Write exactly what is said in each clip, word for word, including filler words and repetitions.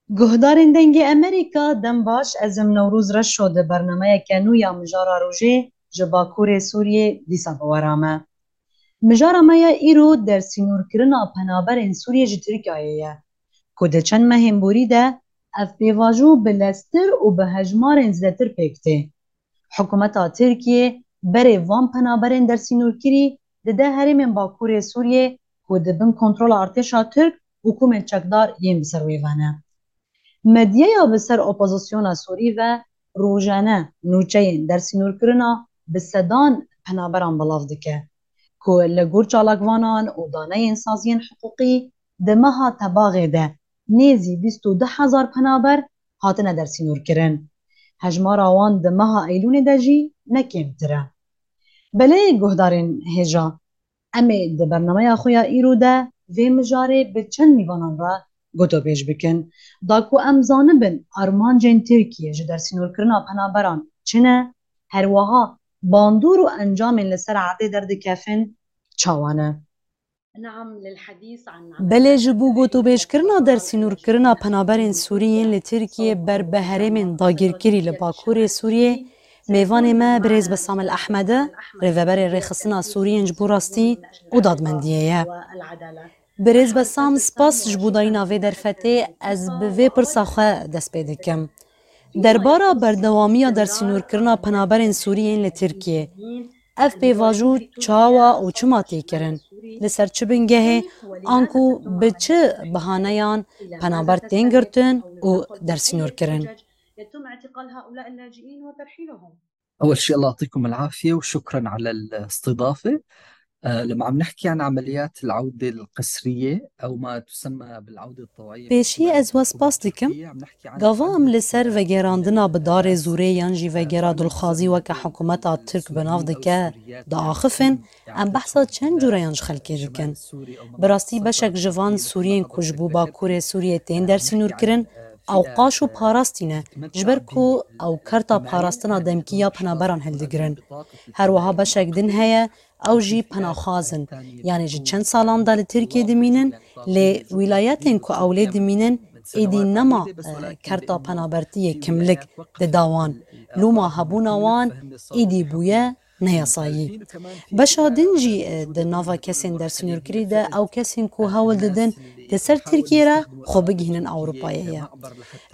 Guhdarên Dengê Emerîka, dem baş, ez im Newroz Reşo di bernameyeke nû ya Mijara Rojê ji Bakurê Sûriyê dîsa bi we re me. Mijara me ya îro dersînorkirina penaberên Sûriyê ji Tirkiyeyê ye, ku di çend mehên borî de ev pêvajo bi lestir û bi hejmarên zêdetir pêk tê. Hikûmeta Tirkiyê berê van penaberên dersînorkirî dide herêmên Bakurê Sûriyê ku di bin kontrola artêşa Tirk û komên çekdar yên bi ser wê ve ne. Medyaya bi ser opozisyona Sûrî ve rojane nûçeyên dersînorkirina bi sedan penaberan belav dike, ku li gor çalakvanan û daneyên saziyên hiqûqî di meha Tebaxê de nêzî bîst û du hezar penaber hatine dersînorkirin. Hejmara wan di meha Eylûnê de jî ne kêmtir e. Belê guhdarên hêja, em ê di bernameya xwe ya îro de vê mijarê bi çend mîvanan re gotobêj bikin. Da ku em zanibin armancên Tirkiyê ji dersînorkirina penaberan çi ne, her wiha bandor û encamên li ser erdê derdikevin çawa ne. Belê ji bo gotobêjkirina dersînorkirina penaberên Sûrî yên li Tirkiyê ber bi herêmên dagirkirî li Bakurê Sûriyê, mêvanê me birêz Besam El Ehmedi, rêveberê Rêxistina Sûriyên ji bo Rastî û Dadmendiyê ye. Birêz Besam, spas ji bo dayîna vê derfetê, ez bi vê pirsa xwe dest pê dikim. Derbara berdewamiya dersînorkirina penaberên Sûrî yên li Tirkiyê, ev pêvajo çawa û çima tê kirin? Li ser çi bingehê, anku bi çi bihaneyan penaber tên girtin û dersînorkirin? أول شيء الله يعطيكم العافية وشكرا على الاستضافة. آه، لما عم نحكي عن عمليات العودة القسرية أو ما تسمى بالعودة الطوعية Pêşî ez we spas dikim. Gava em li ser vegerandina bi darê zûrê yan jî vegera dulxwazî weke hikûmeta Tirk bi nav dike diaxifin, em behsa çend cûreyan ji xelkê dikin. Bi rastî beşek ji van Sûriyên ku ji bo Bakurê Sûriyê tên dersînorkirin, ew qaş û parastî ne, ji ber ku ew kerta parastina demkî ya penaberan hildigirin. Her wiha beşek din heye, ew jî penaxwaz in, yanî ji çend salan de li Tirkiyê dimînin, lê wîlayetên ku ew lê dimînin, êdî nema, e, kerta penabertiyê kimlik dida wan. Loma hebûna wan êdî bûye neyasayî. Beşa din jî, e, di nava kesên dersînorkirî de ew kesên ku hewl didin di ser Tirkiyê re xwe bigihînin Ewropayê ye.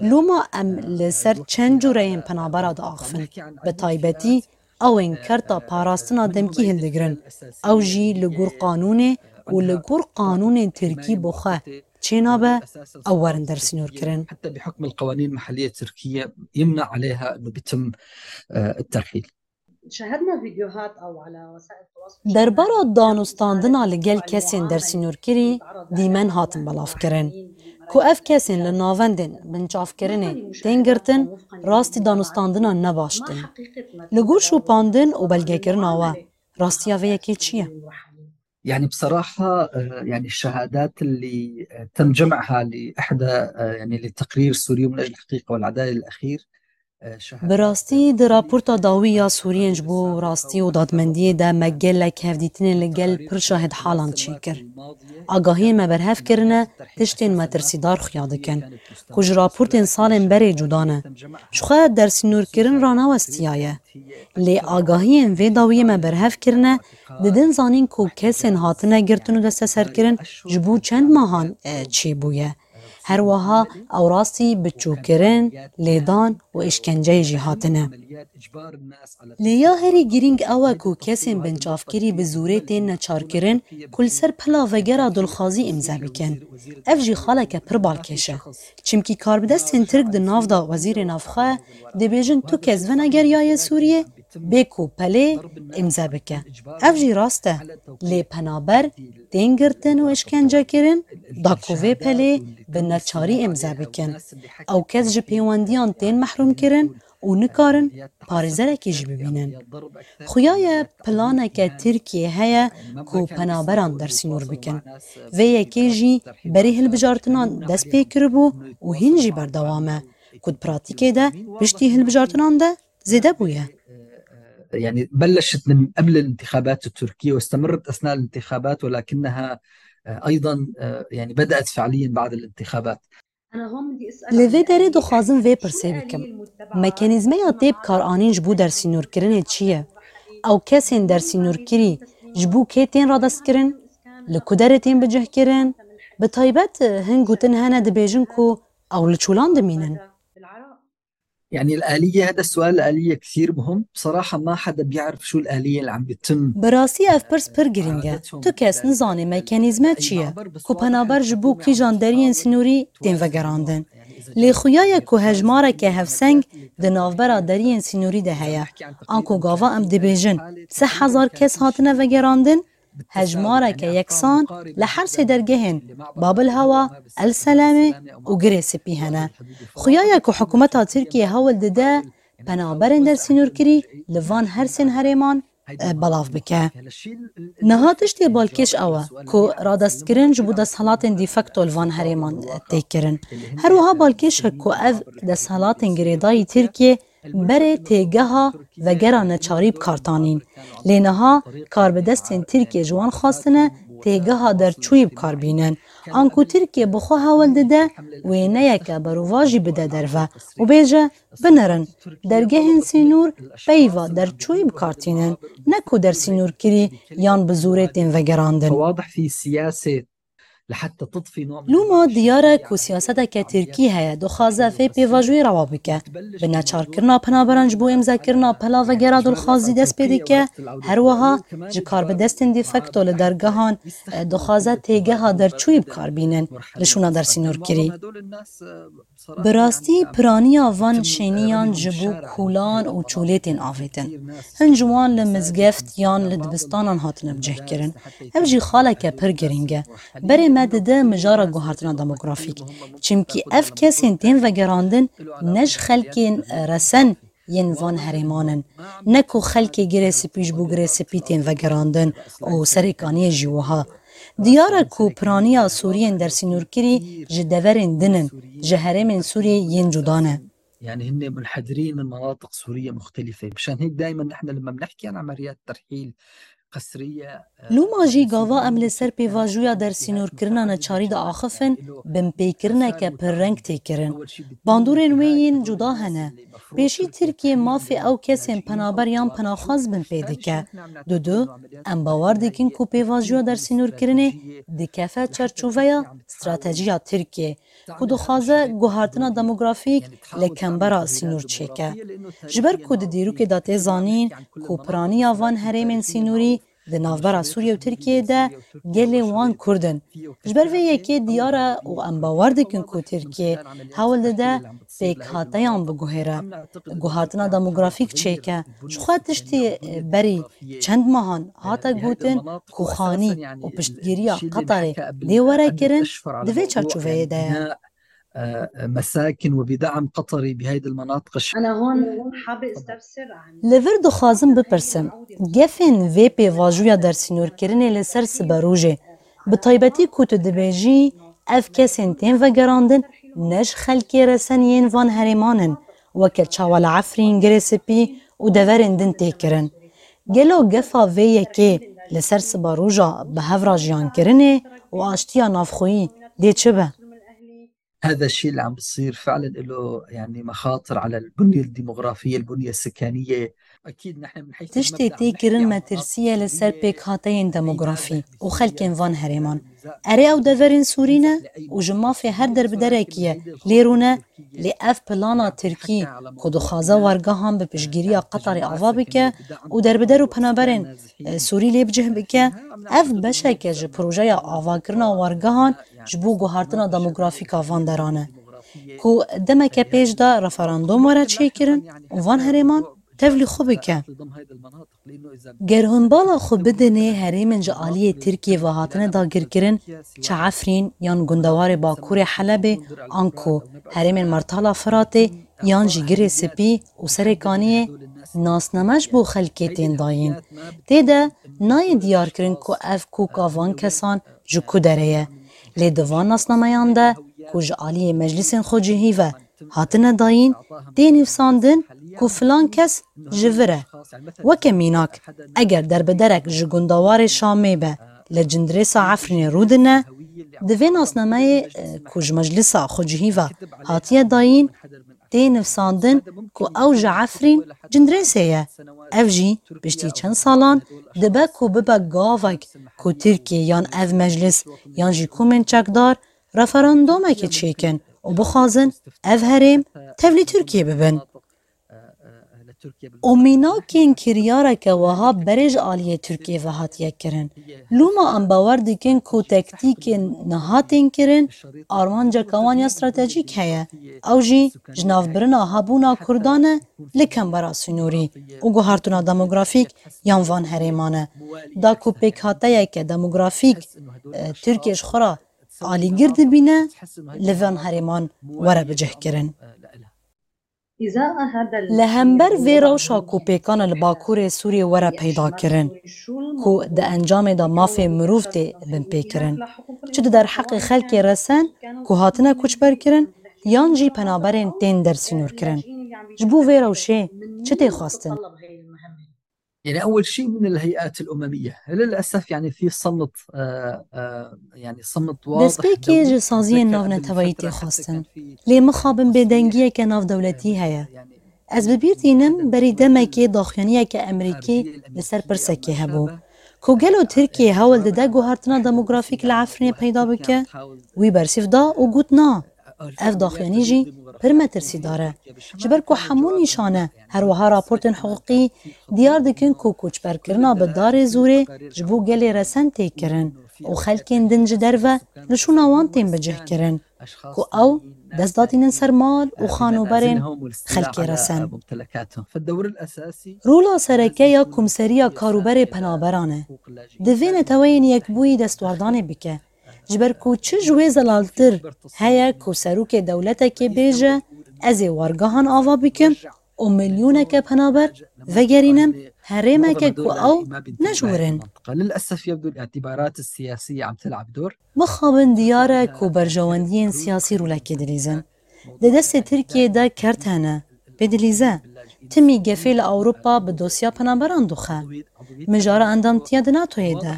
Loma em li ser çend cûreyên penabera diaxifin. Bi taybetî ew ên kerta parastina demkî hildigirin. Ew jî li gor qanûnê û li gor qanûnên Tirkî bi xwe çênabe, ew werin dersînorkirin. حتى بحكم القوانين المحلية التركية يمنع عليها إنه بيتم، آه، الترحيل. Derbara danûstandina li gel kesên dersînorkirî dîmen hatin belavkirin. Ku ev kesên li navendên binçavkirinê tên girtin, rastî danûstandina ne baş tê. Li gor şopandin û belgekirina we, rastiya vê yekê çi ye? يعني بصراحة، آه، يعني الشهادات اللي، آه، تم جمعها لإحدى، آه، يعني لتقرير سوريا من أجل الحقيقة والعدالة الأخير، آه، شهادات Bi rastî di raporta dawî ya Sûriyên ji bo rastî û dadmendiyê de me gelek hevdîtinên li gel pir şahidhalan çêkir. Agahiyên me berhev kirine, tiştên metirsîdar xuya dikin, ku ji raportên salên berê cuda ne. Jixwe dersînorkirin ranewestiyaye. Lê agahiyên vê dawiyê me berhev kirine, didin zanîn ku kesên hatine girtin û desteserkirin ji bo çend mehan, e, çêbûye. Her wiha ew rastî biçûkirin, lêdan û îşkenceyê jî hatine. Lê ya herî girîng ew e ku kesên binçavkirî bi zûrê tên neçarkirin ku li ser pila vegera dulxwazî îmze bikin. Ev jî xaleke pir balkêş e. Çimkî karbidestên Tirk di nav de wezîrê navxwe dibêjin tu kes venegeriyaye Sûriyê, bê ku pelê îmze bike. Ev jî rast e. Lê penaber tên girtin û îşkence kirin, da ku vê pelê bi neçarî îmze bikin. Ew kes ji pêwendiyan tên mehrûm kirin û nikarin parêzerekê jî bibînin. Xuya ye planeke Tirkiyê heye ku penaberan dersînor bikin. Vê yekê jî berî hilbijartinan dest pê kiribû û hîn jî berdewam e, ku di pratîkê de piştî hilbijartinan de zêde bûye. يعني بلشت من قبل الانتخابات التركية واستمرت أثناء الانتخابات، ولكنها، آه، أيضًا، آه، يعني بدأت فعليًا بعد الانتخابات. Li vê derê dixwazim vê pirsê bikim. Mekanîzmeya tê bikaranîn ji bo dersînorkirinê çi ye? Ew kesên dersînorkirî ji bo kê tên radestkirin? Li ku derê tên bicihkirin? Bi taybet hin gotin hene dibêjin ku ew li çolan dimînin. يعني الآلية، هذا السؤال الآلية كثير مهم. بصراحة ما حدا بيعرف شو الآلية اللي عم بيتم. Bi rastî ev pirs pir girîng e. Tu kes nizane mekanîzme çi ye? Ku penaber ji bo kîjan deriyên sînorî tên vegerandin? Lê xuya ye ku hejmareke hevseng di navbera deriyên sînorî de heye. Anku gava em dibêjin sih hezar kes hatine vegerandin, hejmareke yeksan li her sê dergehên Babil Hewa, El Selamê û Girê Spî hene. Xuya ye ku hikûmeta Tirkiyê hewl dide penaberên dersînorkirî li van her sên herêman, e, belav bike. Niha tiştê balkêş ew e ku radestkirin ji bo desthilatên de facto li van herêman, e, tê kirin. Her wiha balkêş e ku ev desthilatên girêdayî Tirkiyê berê têgeha vegera neçarî bi kar tanîn. Lê niha karbidestên Tirkiyê ji wan xwestine têgeha derçûyî bi kar bînin. Anku Tirkiye bi xwe hewl dide wêneyeke berovajî bide derve û bêje, binerin, dergehên sînor peyva derçûyî bi kar tînin, ne ku dersînorkirî yan bi zorê tên vegerandin. فواضح في سياسة لحتى تطفي نوع من Loma diyar e ku siyaseteke Tirkî heye, dixwaze vê pêvajoyê rewa bike. Bi neçarkirina penaberan ji bo îmzakirina pela vegera dilxwazî dest pê dike, her wiha ji karbidestên de facto li dergehan, e, dixwaze têgeha derçûyî bi kar bînin li şûna dersînorkirî. Bi rastî piraniya van şêniyan ji bo kolan û çolê tên avêtin. Hin ji wan li mizgeft yan li dibistanan hatine bicihkirin. Ev jî xaleke pir girîng e. Berê me dide mijara guhartina demografîk. Çimkî ev kesên tên vegerandin ne ji xelkên resen yên van herêman in. Ne ku xelkê Girê Spî ji bo Girê Spî tên vegerandin û Serêkaniyê jî wiha. Diyar e ku piraniya Sûriyên dersînorkirî ji deverên din in, ji herêmên Sûriyê yên cuda ne. يعني هن منحدرين من مناطق سورية مختلفة. مشان هيك دائما نحن لما بنحكي عن عمليات ترحيل قسرية، Loma jî gava em li ser pêvajoya dersînorkirina neçarî diaxifin, binpêkirineke pirreng tê kirin. Bandorên wê yên cuda hene. Pêşî Tirkiye mafê ew kesên penaber yan penaxwaz binpê dike. Dudu, em bawer dikin ku pêvajoya dersînorkirinê dikefe çarçoveya stratejiya Tirkiye, ku dixwaze guhartina demografîk li kembera sînor çêke. Ji ber ku di dîrokê de tê zanîn ku piraniya van herêmên sînorî di navbera Sûriye û Tirkiyeyê de gelê wan Kurd in. Ji ber vê yekê diyar e û em bawer dikin ku Tirkiye hewl dide pêkhateyan biguhêre, guhartina demografîk çêke. Ji xwe tiştê berî çend mehan hate gotin ku xanî û piştgiriya Qetarê dê were kirin, di vê çarçoveyê de ye. مساكن وبدعم قطري بهيدي المناطق الش- أنا هون حابة أستفسر عن Li vir dixwazim bipirsim, gefên vê pêvajoya dersînorkirinê li ser siberojê, bi taybetî ku tu dibêjî ev kesên tên vegerandin ne ji xelkê resen yên van herêman in, weke çawa li Efrîn, Girê Spî û deverên din tê kirin. Gelo gefa vê yekê li ser siberoja bi hev re jiyankirinê û aştiya navxweyî dê çi be? هذا الشيء اللي عم بيصير فعلا له يعني مخاطر على البنية الديموغرافية، البنية السكانية. أكيد نحن من حيث Tiştê tê kirin metirsî ye li ser pêkhateyên demografî û xelkên van herêman. Erê, ew deverên Sûrî ne û ji mafê her derbiderekî ye lê rûne, lê ev plana Tirkî ku dixwaze wargehan bi piştgiriya Qetarê ava bike û derbider û penaberên, e, Sûrî lê bicih bike, ev beşeke ji projeya avakirina wargehan ji bo guhartina demografîk a van deran e, ku demeke pêş de referandûm were çêkirin û van herêman tevlî xwe bike. Ger hûn bala xwe bidinê herêmên ji aliyê Tirkiyê ve hatine dagirkirin, çi Efrîn yan gundewarê bakurê Helebê, anku herêmên Mertala Firatê yan jî Girê Spî û Serê Kaniyê, nasname ji bo xelkê tên dayîn. Tê de nayê diyarkirin ku ev koka van kesan ji ku derê ye. Lê di van nasnameyan de ku ji aliyê meclîsên xwecihî ve hatine dayîn, tê nivîsandin ku filan kes ji vir e. Weke mînak, eger derbiderek ji gundewarê Şamê be, li Cindirêsa Efrînê rûdine, Di vê nasnameyê, e, ku ji Meclisa Xwecihî ve hatiye dayîn, tê nivsandin ku ew ji Efrîn Cindirêsê ye. Ev jî piştî çend salan dibe ku bibe gavek ku Tirkiye yan ev meclis yan jî komên çekdar referandûmekê çêkin û bixwazin ev herêm tevlî Tirkiye bibin. Û mînakên kiryareke wiha berê ji aliyê Tirkiyê ve hatiye kirin. Lûma em bawer dikin ku tektîkên niha tên kirin, armanceke wan ya stratejîk heye. Ew jî ji navbirina hebûna Kurdan e li kembera sînorî û guhartina demografîk yan van herêman e. Da ku pêkhateyeke demografîk, e, Tirkiye ji xwe re alîgir dibîne, li van herêman were bicihkirin. Li hember vê rewşa ku pêkan e li Bakurê Sûriyê were peyda kirin, ku di encamê de mafê mirov tê binpêkirin, çi di derheqê xelkê resen ku hatine koçberkirin yan jî penaberên tên dersînorkirin. Ji bo vê rewşê çi tê xwestin? يعني أول شيء من الهيئات الأممية. للأسف يعني في صمت، آه، آه، يعني صمت واضح. Destpêkê ji saziyên navneteweyî tê xwestin. Lê mixabin bêdengiyeke navdewletî heye. Ez bi bîr tînim, berî demekê daxuyaniyeke Emerîkî li ser pirsekê hebû. Ku gelo Tirkiye hewl dide guhertina demografîk li Efrînê peyda bike? Wî bersîv da û got na. Ev daxuyanî jî pir metirsîdar e. Ji ber ku hemû nîşane, her wiha raportên hiqûqî diyar dikin ku koçberkirina bi darê zûrê ji bo gelê resen tê kirin û xelkên din ji derve li şûna wan tên bicihkirin, ku ew dest datînin ser mal û xanoberên xelkê resen. Rola sereke ya Komseriya Karûberê Penaberan e. Divê Neteweyên Yekbûyî destwardanê bike. Ji ber ku çi ji wê zelaltir heye ku serokê dewletekê bêje, ez ê wargehan ava bikim û milyoneke penaber vegerînim herêmeke ku ew ne ji wir in. للأسف يبدو الاعتبارات السياسية عم تلعب دور. Mixabin diyar e ku berjewendiyên siyasî rolekê dilîzin. Di destê Tirkiyê de kert hene. Pê dilîze, timî gefê li Ewropa bi dosya penaberan dixe. Mijara endamtiya di NATOyê de.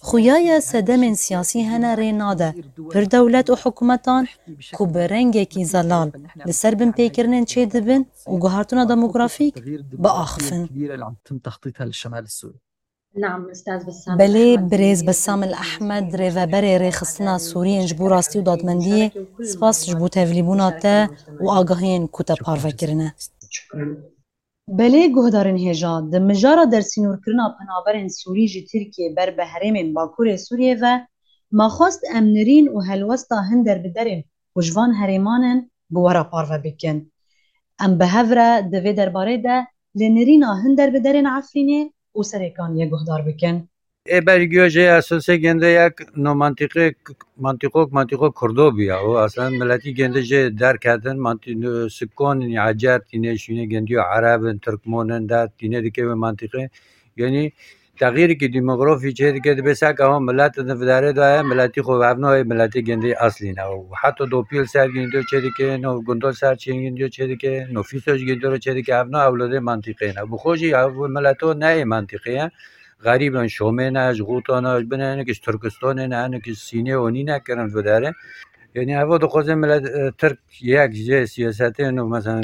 Xuya ye sedemên siyasî hene rê nade pir dewlet û hikûmetan ku bi rengekî zelal li ser binpêkirinên çêdibin û guhartina demografîk biaxifin. Belê, birêz Bessam El Ehmed, rêveberê Rêxistina Sûriyên ji bo Rastî û Dadmendiyê, spas ji bo tevlîbûna te û agahiyên ku te parve kirine. Belê, guhdarên hêja, di mijara dersînorkirina penaberên Sûrî ji Tirkiyê ber bi herêmên Bakurê Sûriyê ve, me xwest em nirîn û helwesta hin derbiderên ku ji van herêman in bi we re parve bikin. Em bi hev re di vê derbarê de li nirîna hin derbiderên Efrînê û Serêkaniyê guhdar bikin. Ê bergiyo jê esasê gende yek no mantiqê, mantiqok, mantiqo Kurdo bûya. O aslen miletî gende jê derketin, manti-, sikonên Ecer tîne şûnê gendiyo Ereb in, Tirkmon in, der tîne dike wê mantiqê. Yanî texyîrikî demografî çê dike, dibe sek ewa milet di vidarê de ye, miletî xwe ev nayê miletê gêndê eslî ne. Û heta dopî li ser gêndiyo çê dike, no gundo ser çê gêndiyo çê dike, no fîso ji gêndiyo re çê dike, ev na ewladê mantîqê ne. Bi xwe jî ev mileto neyê mantîqê ye. Xerîb in, Şomê ne, ji Xûta ne, ji bin hinek ji Tirkistanê ne, hinek ji Sînê û nîne kirin vidarê. Yanî evo dixwaze milet, e, Tirk yek jê siyasetê, no mesela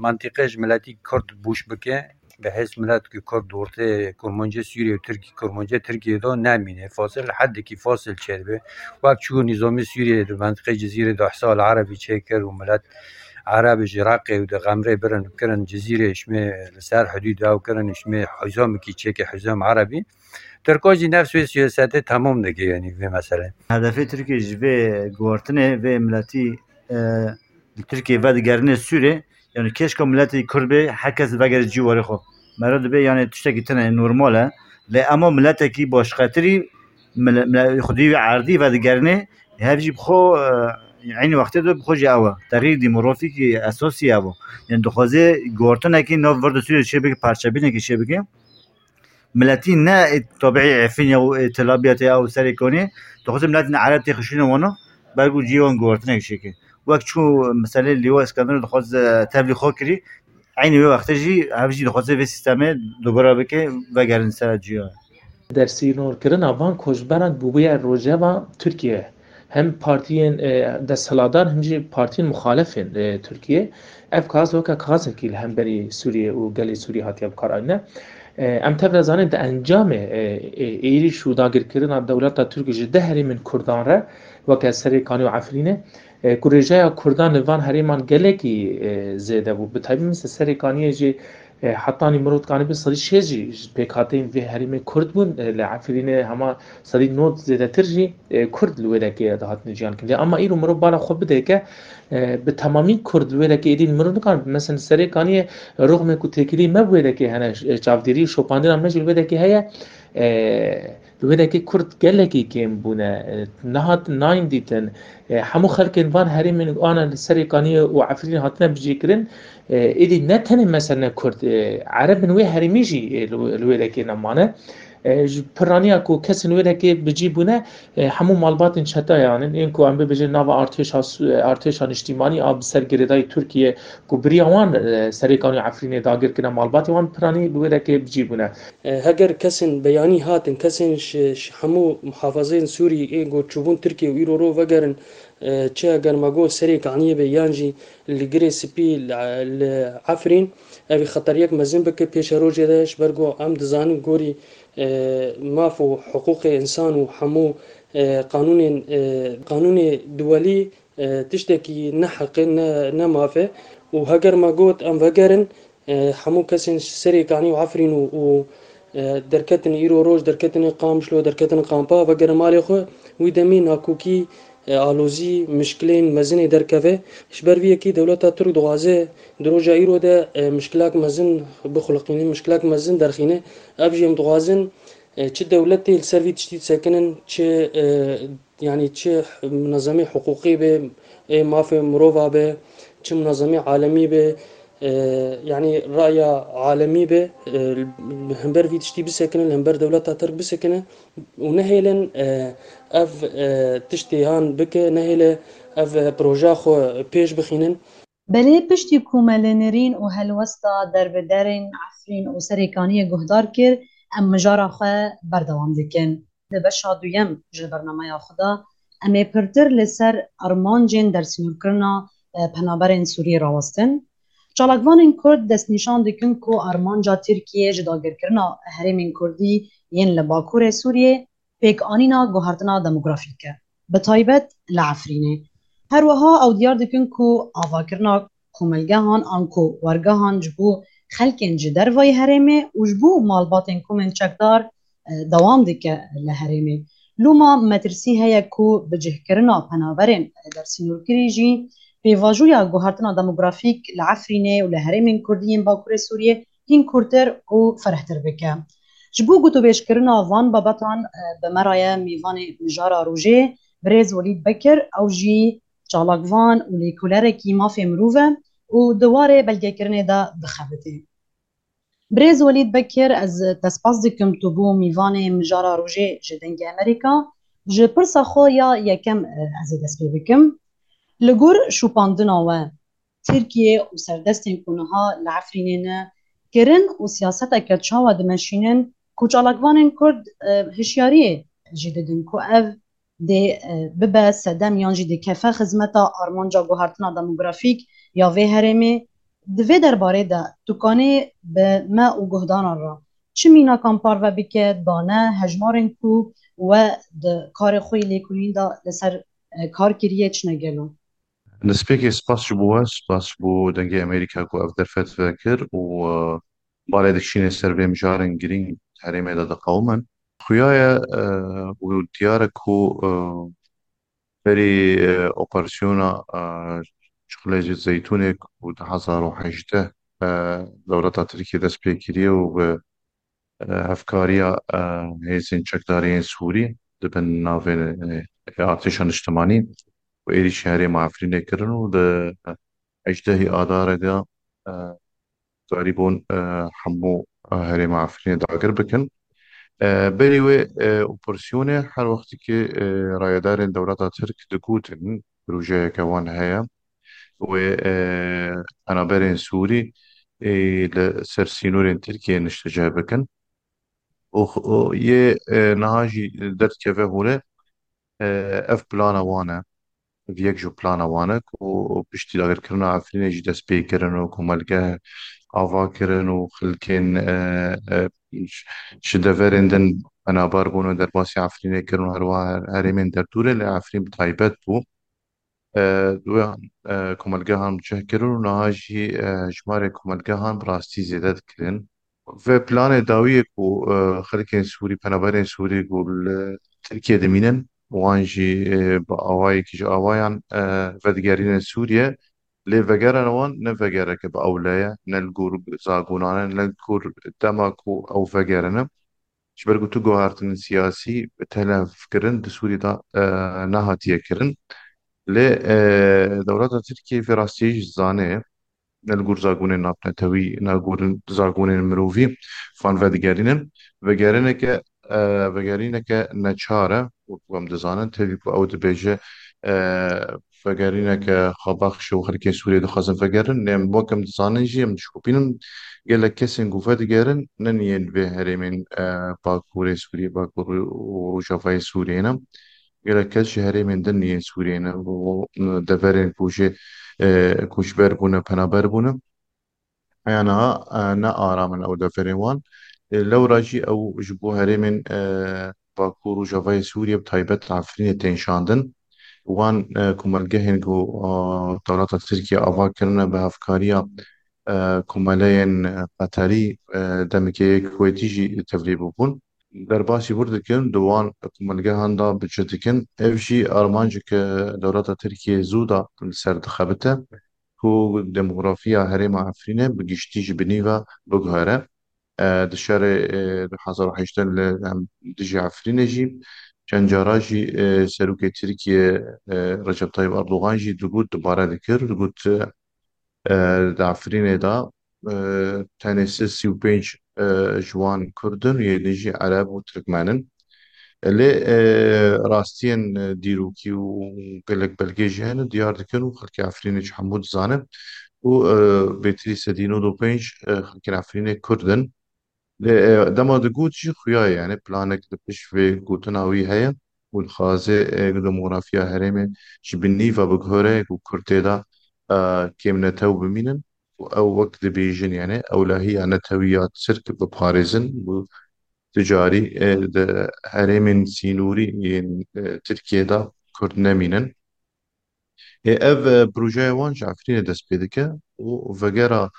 mantîqê ji miletî Kurd bûş bike. Bi hêz milet ki Kurd di ortê kurmancê Sûriyê û Tirkî, kurmancê Tirkiyê de nemîne. Fasil, hedekî fasil çêdibe. Wek çû nîzamê Sûriyê di mentiqê Cizîrê de hisa li Erebî çêkir û milet Erebî ji Reqê û di Xemrê birin kirin Cizîrê, şimê li ser hidûd ew kirin, şimê hizamekî çêke, hizam Erebî. Tirka jî nefs wê siyasetê temam dike, yanî vê meselê. Hedefê Tirkiyê ji vê guhartinê vê miletî, e, li Tirkiyê vedigerine Sûrê, yanî kêşka miletê Kurd bê, her kes vegere cîwarê xwe. Mera dibe, yanî tiştekî tune normal e. Lê ema miletekî başqetirî, mile-, mile-, xwedî wî erdî vedigerine, hev jî bi xwe, e, eynî wextê de bi xwe jî ew e. Texyîr demografîkî esasî ew e. Yanî dixwaze guhartinekî nav vir de Sûrê çê bike, parçebînekî çê bike. Miletî ne ê tabiî Efrînê û ê Tel Abyadê ew Serêkaniyê, dixwaze miletên Ereb têxin şûnê wan, ber ku cihê wan guhartinek çêke. Wek çû meselê Lîwa Îskenderû dixwaz, e, tevlî xwe kirî, eynî wê wextê jî ev jî dixwaze vê sîstemê dubara bike, vegerin ser cihê. Dersînorkirina van koçberan bûbûye rojeva Tirkiyê. hem partiyên, e, desthilatdar hem jî partiyên muxalefên, e, Tirkiyê. Ev kaxez weke kaxezekî li hemberî Sûriyê û gelê Sûriyê hatiye bikaranîne. E, em tev de zanin di encamê, e, e, êrîş û dagirkirina dewleta Tirk ji di herêmên Kurdan re weke Serê Kanî û Efrînê, e, ku rêjeya Kurdan li van herêman gelekî, e, zêde bû. Bi taybet mesela Serê Kaniyê jî, e, hetanî mirov dikanî bi sedî şêst jî ji pêkhateyên vê herêmê Kurd bûn. E, li Efrînê hema sedî nod zêdetir jî, e, Kurd li wê dekê dihatin jiyan kirin. Ama îro mirov bala xwe bidê ke, e, bi temamî Kurd li wê dekê êdî mirov nikan. Mesela Serê Kaniyê rûxmê ku têkilî me bi wê dekê hene, e, çavdêrî û şopandina me jî li wê dekê heye. E, Li wê dekê Kurd gelekî kêm bûne, e, nehat nayên dîtin. E, hemû xelkên van herêmên ana li Serê Kaniyê û Efrînê hatine bicihkirin. E, êdî ne tenê mesele Kurd, e, Ereb in wê herêmî jî, e, li, li wê dekê nemane. E, ji piraniya ku kesên wê dekê bi cî bûne, e, hemû malbatên çetayan in, ên ku em bibêjin nava artêşa Su-, artêşa niştîmanî a bi ser girêdayî Tirkiye ku biriya wan, e, Serê Kaniyê û Efrînê dagir kirine, malbatê wan piranî bi wê dekê bi cî bûne. E, heger kesên beyanî hatin, kesên ji, ji hemû muhafazeyên Sûrî ên ku çûbûn Tirkiye û îro ro vegerin, e, çi heger me got Serê Kaniyê be yan jî li Girê Spî, li, li Efrîn, ev ê xeteriyek mezin bike pêşerojê de, ji ber ku em dizanin gorî, e, maf û hiqûqê însan û hemû, e, qanûnên, e, qanûnê duwelî, e, tiştekî ne heq e, ne, ne maf e. Û heger me got em vegerin, e, hemû kesên ji Serê Kanî û Efrîn û, û, e, derketin îro roj, derketin Qamişlo, derketin kampa, vegerin malê xwe, wî demî nakokî, e, alozî, mişkilên mezin ê derkeve. Ji ber vî yekî dewleta Tirk dixwaze di roja îro de, e, mişkilak mezin bixuliqîne, mişkilak mezin derxîne. Ev jî em dixwazin, e, çi dewletê li ser vî tiştî disekinin, çi, e, yanî çi munezemê hiqûqî be, ê mafê mirova be, çi munezemê alemî be, e, yanî raya alemî be, e, li hember vî tiştî bisekinin, li hember dewleta Tirk bisekinin û nehêlin, e, ev, e, tiştê han bike, nehêle ev, e, proja xwe pêş bixînin. Belê piştî ku me li Nirîn û helwesta derbiderên Efrîn û Serê Kaniyê guhdar kir, em mijara xwe berdewam dikin. Di beşa duyem ji bernameya xwe de em ê pirtir li ser armancên dersînorkirina, e, penaberên Sûrî rawestin. Çalakvanên Kurd destnîşan dikin ku armanca Tirkiyê ji dagirkirina herêmên Kurdî yên li Bakurê Sûriyê pêkanîna guhertina demografîk e, bi taybet li Efrînê. Her wiha ew diyar dikin ku avakirina komelgehan anku wergehan ji bo xelkên ji dervayî herêmê û ji bo malbatên komên çekdar, e, dewam dike li herêmê. Loma metirsî heye ku bicihkirina penaberên dersînorkirî jî pêvajoya guhertina demografîk li Efrînê û li herêmên Kurdî yên Bakurê Sûriyê hîn kûrtir û ferehtir bike. Ji bo gotûbêjkirina van babetan, e, bi me re ye mîvanê mijara rojê, birêz Welîd Bekir, ew jî çalakvan û lêkolerekî mafê mirov e û di warê belgekirinê de dixebitê. Birêz Welîd Bekir, ez te spas dikim tu bû mîvanê mijara rojê ji Dengê Amerîka. Ji pirsa xwe ya yekem, e, ez ê dest pê bikim. Li gor şopandina we, Tirkiye û serdestên ku niha li Efrînê ne, kirin û siyaseteke çawa dimeşînin ku çalakvanên Kurd, e, hişyariyê jî didin ku ev dê, e, bibe sedem yan jî dikefe xizmeta armanca guhertina demografîk ya vê herêmê. Di vê derbarê de tu kanê bi me û guhdaran re çi mînakan parve bike, dane hejmarên ku we di karê xwe yê lêkolînî de li ser, e, kar kiriye çi ne gelo? Destpêkê spas ji bo we, spas ji bo Dengê Amerîka ku ev derfet vekir û, e, balê dikişîne ser vê mijarên girîng herêmê de diqewimin. Xuya ye, e, û diyar e ku, e, berî, e, operasyona, e, Çixulê Zeytûnê ku du hazar û hejdeh, e, dewleta Tirkiyê dest pê kiriye û bi, e, hevkariya, e, hêzên çekdariyên Sûrî di bin navê, e, artêşa niştimanî û êrîşî herêma Efrînê kirin û di hejdehî Adarê de, e, karîbûn, e, hemû, e, herêma Efrînê dagir bikin. E, berî wê, e, operasyonê her wextî ki, e, rayedarên dewleta Tirk digotin projeyeke wan heye, wê, e, penaberên Sûrî, e, li ser sînorên Tirkiyê niştecih bikin. Û, û yê, e, niha jî derdikeve hûre, E, ev plana wan e. Ev yek ji plana wan e ku piştî dagirkirina Efrînê jî dest pê kirin û komelgeh ava kirin û xelkên, e, e, ji deverên din penaber bûn û derbasî Efrînê kirin û herwiha her-, herêmên derdûrê, lê Efrîn bi taybet bû. E, wê, e, komelgehan bi cih kirin û niha jî, e, jimarê komelgehan bi rastî zêde dikirin. Vê planê dawiyê ku, e, xelkên Sûrî, penaberên Sûrî ku li Tirkiyê dimînin, wan jî, e, bi awayekî ji awayan, e, vedigerînin Sûriye. Lê vegerana wan ne vegereke bi ewle ye, ne li gor zagonan e, ne li gor dema ku ew vegerine. Ji ber ku tu guhertinên siyasî telef kirin di Sûriyê de, e, nehatiye kirin. Lê, e, dewleta Tirkiyê vê rastiyê jî dizane, ne li gor zagonên navnetewî, ne li gor zagonên mirovî van vedigerînin. Vegerîneke, e, vegerîneke neçar e, wek em dizanin, tevî ku ew dibêje, e, vegerîneke xwebexş û xelkên Sûriyê dixwazin vegerin. Lê em wek em dizanin jî, em dişopînin, gelek kesên ku vedigerin, ne yên vê herêmên, e, Bakurê Sûriyê, Bakur û Rojavayê Sûriyê ne. Gelek kes ji herêmên din yên Sûriyê ne û, û deverên ku jê, e, koçber bûne, penaber bûne. Heya niha, e, ne aram in ew deverên wan. E, lewra jî ew ji bo herêmên, e, Bakur û Rojavayê Sûriyê, bi taybet Efrînê, tên şandin. Wan, e, komelgehên ku, e, dewleta Tirkiye ava kirine bi hevkariya, e, komeleyên, e, Qeterî, e, demekê yek Kuwêtî jî tevlî bûbûn. Derbasî wir dikin, di wan komelgehan de bi cih dikin. Ev jî armanceke dewleta Tirkiye zû de li ser dixebite ku demografiya herêma Efrînê bi giştî ji binî ve biguhere. E, di şerê, e, du hezar û heştê li, em, dijî Efrînê jî çend cara jî, e, serokê Tirkiye, e, Recep Tayyip Erdogan jî digot, dubare dikir, digot, e, di Efrînê de, e, tenê sê sî û pênc, e, ji wan Kurd in, yê din jî Ereb û Tirkmen in. Lê, e, rastiyên, e, dîrokî û gelek belgê jî hene, diyar dikin û xelkê Efrînê jî hemû dizanin û, e, bêtirî sedî nod û pênc, e, xelkên Efrînê Kurd in. Lê, e, dema digot jî xuya ye, yani planek li pişt vê gotina wî heye û dixwaze, e, demografiya herêmê ji binî ve biguhere ku Kurd tê de, e, kêmnetew bimînin û ew wek dibêjin, yani ewlehiya netewî ya Tirk biparêzin û tu carî, e, di herêmên sînorî yên, e, Tirkiyê de Kurd nemînin. Ê, ev, e, projeya wan ji Efrînê dest pê dike û vegera,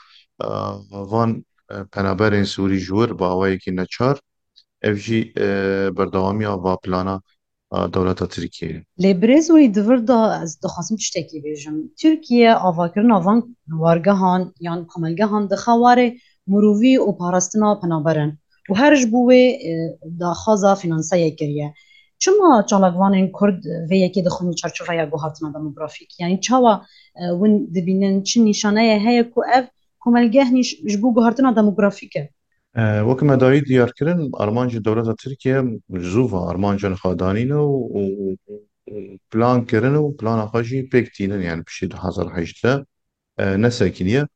e, van, e, penaberên Sûrî ji wir bi awayekî neçar, ev jî, e, berdewamiya va plana, e, dewleta Tirkiyê ye. Lê birêz Nûrî, di vir de ez dixwazim tiştekî bêjim. Tirkiye avakirina van wargehan yan komelgehan dixe warê mirovî û parastina penaberan û her ji bo wê, e, daxwaza fînanseyê kiriye. Çima çalakvanên Kurd vê yekê dixwin li çarçoveya guhartina demografîk? Yanî çawa, e, win dibînin, çi nîşaneyê heye ku ev komelgeh nîş-, ji bo guhartina demografîk e? E, wek me dawî diyar kirin, armancê dewleta Tirkiye ji zû ve armanca niha danîne û, û, û, û plan kirin û plana xwe jî pêk tînin, yani piştî du hezar hejdeh, e, nesekiniye.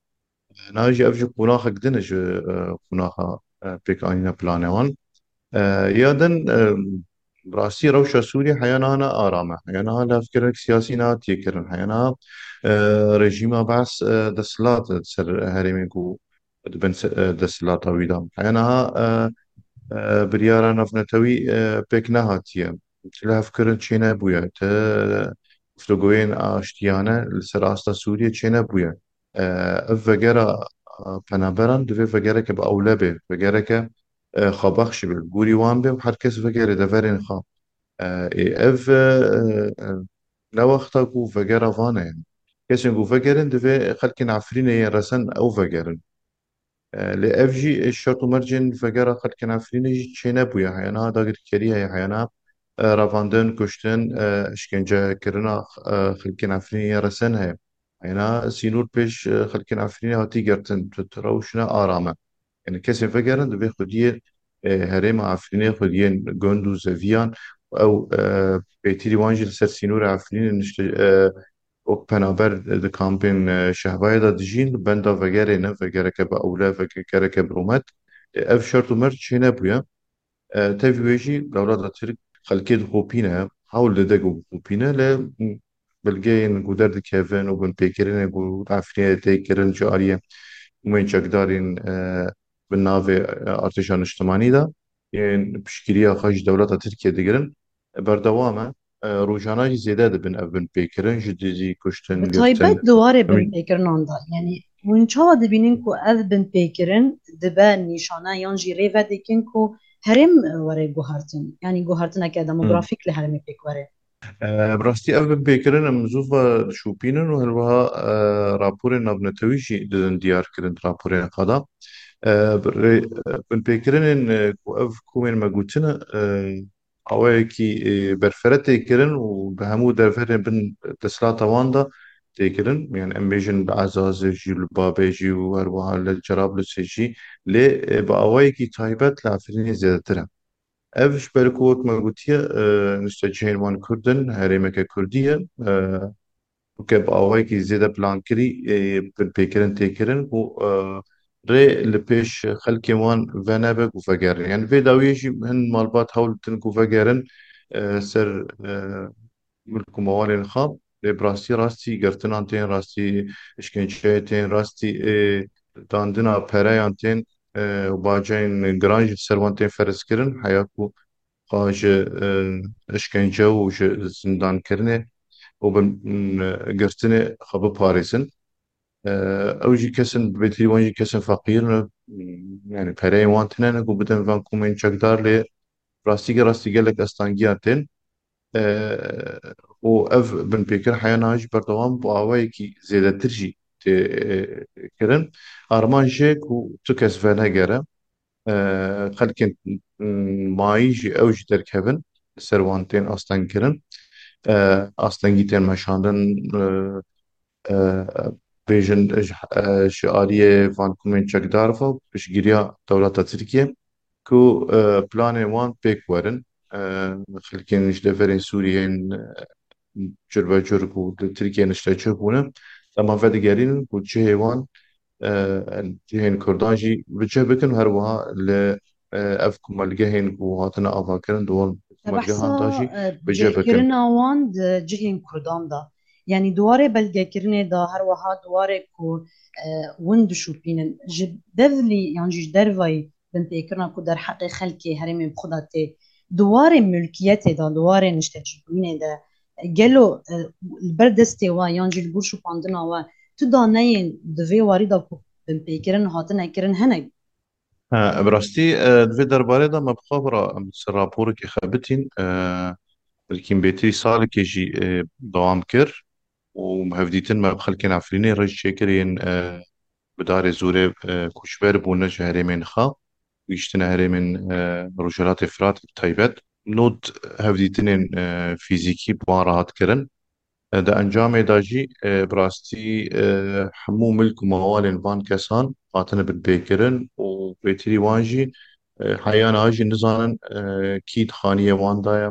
Niha jî ev jî qonaxek din e ji, e, qonaxa, e, pêkanîna planê wan. E, ya din, e, rastî rewşa Sûriyê heya niha ne aram e. Heya niha levkirek siyasî nehatiye kirin. Heya niha, e, rejîma Beas, e, desthilat li ser herêmên ku dibin se-, e, desthilata wî de. Heya niha, e, e, biryara navnetewî, e, pêk nehatiye. Lihevkirin çênebûye. Ti guftûgoyên aştiyane li ser asta Sûriyê çênebûye. E, ev vegera, e, penaberan divê vegereke bi ewle be, vegereke, e, xwebexşî be, li gorî wan be û her kes vegere deverên xwe. E, ê, ev, e, e, ne wexta ku vegera van e. Kesên ku vegerin divê xelkên Efrînê yên resen ew vegerin. E, lê ev jî, e, şert û mercên vegera xelkên Efrînê jî çênebûye. Heya niha dagirkerî heye, heya niha, e, revandin, kuştin, e, îşkencekirina, e, xelkên Efrînê yên resen heye. Heya niha sînor pêş, e, xelkên Efrînê hatî girtin. Tu, tu rewş ne aram e. Yani kesên vegerin divê xwediyê, e, herêma Efrînê, xwediyên gund û zeviyan, ew, e, pêtirî wan jî li ser sînorê Efrînê nişte, e, wek penaber di kampên, e, Şehbayê de dijîn, li benda vegerê ne, vegereke bi ewle, vegereke bi rûmet. E, ev şert û merc çênebûye. E, tevî wê jî dewleta Tirk xelkê dixopîne, hewl dide ku bixûpîne, lê belgeyên ku derdikevin û binpêkirinên ku Efrînê tê kirin ji aliyê komên çekdarên, e, bi navê, e, Artêşa Niştimanî de yên piştgiriya xwe ji dewleta Tirkiye digirin, berdewam e. E, rojane jî zêde dibin ev binpêkirin, ji dijî kuştin, Bi girtin. taybet di warê Em- binpêkirinan de, yanî hûn çawa dibînin ku ev binpêkirin dibe nîşane yan jî rê vedêkin ku herêm were guhertin, yanî guhertineke demografîk li herêmê pêk were? E, bi rastî ev binpêkirin em zû ve dişopînin û her wiha, e, raporên navnetewî jî didin diyarkirin di raporên xwe de. E, bi rê-, e, binpêkirinên, e, ku ev komên me gotine, e, awayekî, e, berfere tê kirin û bi hemû deverên bin desthilata wan de tê kirin. Yani em bêjin li Ezazê jî, li Babê jî û her wiha li Cerablusê jî. Lê, e, bi awayekî taybet li Efrînê zêdetir e. Ev ji ber ku wek me gotiye, e, niştecihên wan Kurd in, herêmeke Kurdî ye. E, weke bi awayekî zêde plankirî, e, binpêkirin tê kirin û, e, rê li pêş xelkên wan venebe ku vegerin. Yani vê dawiyê jî hin malbat hewl ditin ku vegerin, e, ser, e, milk û mewalên xwe. Lê bi rastî, rastî girtinan tên, rastî işkenceyê tên, rastî, e, dandina pereyan tên, e, û baceyên giran jî ser wan tên ferz kirin. Heya ku xwe ji, e, işkence û ji zindankirinê û bin, e, girtinê xwe biparêzin. E, ew jî kesin, bêtirî wan jî kesin feqîr ne, yani pereyên wan tine ne ku bidin van komên çekdar, lê rastî, rastî gelek astangiyan tên. E, û ev binpêkir heya niha jî berdewam bi awayekî zêdetir jî tê, e, kirin. Armanc jê ku tu kes venegere, e, xelkên, m, mayî jî ew jî derkevin, ser wan tên astengkirin. E, astengî tên meşandin, e, e, bêjin ji, e, ji aliyê van komên çekdar ve piştgiriya dewleta Tirkiye ku, e, planên wan pêk werin. E, xelkên ji deverên Sûriyê yên, e, curbecur ku li Tirkiye niştecih bûne, dema vedigerînin ku cihê wan, e, cihên Kurdan jî bi cih bikin, her wiha li, e, ev komelgehên ku hatine avakirin di wan komelgehan de jî e, bi cih bikin. Cihkirina wan di cihên Kurdan de, yanî di warê belgekirinê de, her wiha di warê ku, e, win dişopînin, ji devlî yan jî ji dervayî binpêkirina ku derheqê xelkê herêmê bi xwe de tê, di warê mulkiyetê de, di warê niştecîbûyînê de, gelo, e, li ber destê we yan jî li gor şopandina we tu daneyên di vê warî de ku binpêkirin hatine kirin hene? Ha, bi rastî, e, di vê derbarê de me bi xwe bira em ser raporekê xebitîn, e, belkî bêtirî salekê jî, e, dewam kir û hevdîtin me bi xelkên Efrînê re jî çêkir yên, e, bi darê zorê, e, koçber bûne ji herêmên xwe, gihîştine herêmên, e, Rojhilatê Firatê bi taybet. Not hevdîtinên, e, fîzîkî bi wan re hat kirin. E, di encamê de jî, e, bi rastî, e, hemû milk û mewalên van kesan hatine binpêkirin û bêtirî wan jî, e, heya niha jî nizanin, e, kî di xaniyê wan de ye,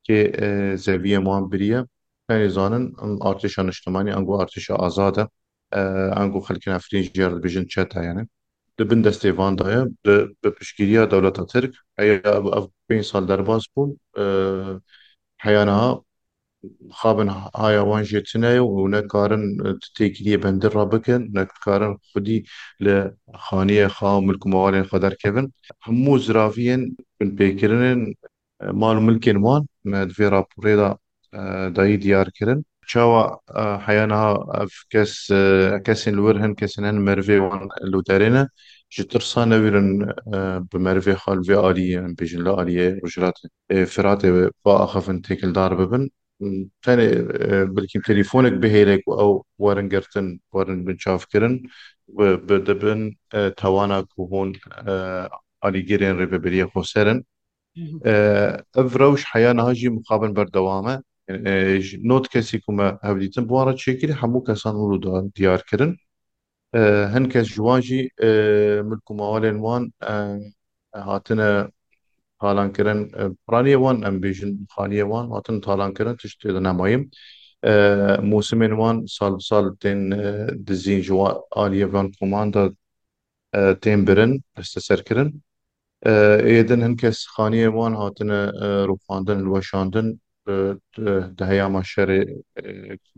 kê, e, zeviyên wan biriye. Tenê zanin, em artêşa niştimanî, ango artêşa azad e, e, ango xelkên Efrîn jê re dibêjin çete, yani. Di bin destê van de ye, di, bi piştgiriya dewleta Tirk, heya ev, ev pênc sal derbas bûn, e, heya niha xabin haya wan jê tune ye û nekarin, e, di têkiliyê bendir re bikin, nekarin xwedî li xaniyê xwe û milk û mewalên xwe derkevin. Hemû ziraviyên binpêkirinên, e, mal û milkên wan me di vê raporê de, e, dayî diyar kirin. Çawa, e, heya niha ev kes, e, kesên li wir hin, kesên hin merivê wan li derê ne, ji tirsa newîrin, e, bi merivê xwe li vê aliyê, em bêjin li aliyê Rojhilatê, e, Firatê biaxivin, têkildar bibin. Tenê, e, belkî telefonek bihêle ku ew werin girtin, werin binçavkirin, bi, bi, dibin, e, tawana ku hûn, e, alîgirên Rêveberiya Xweser in. Hı hı. E, ev rewş heya niha jî mixabin berdewam e. E, ji not kesî ku me hevdîtin bi wan re çêkirî, hemû kesan hûn da diyar kirin. E, hin kes ji wan jî, e, milk û mewalên wan, e, hatine talankirin, e, piraniyê wan, em bêjin, xaniyê wan hatin talankirin, tişt tê de nemaye. E, mûsimên wan sal bi sal tên, e, dizîn, ji wa-, aliyê van koman de, e, tên birin, desteserkirin. E, êdin hin kes xaniyên wan hatine, e, rûxandin, hilweşandin, e, e, di heyama şerê, e,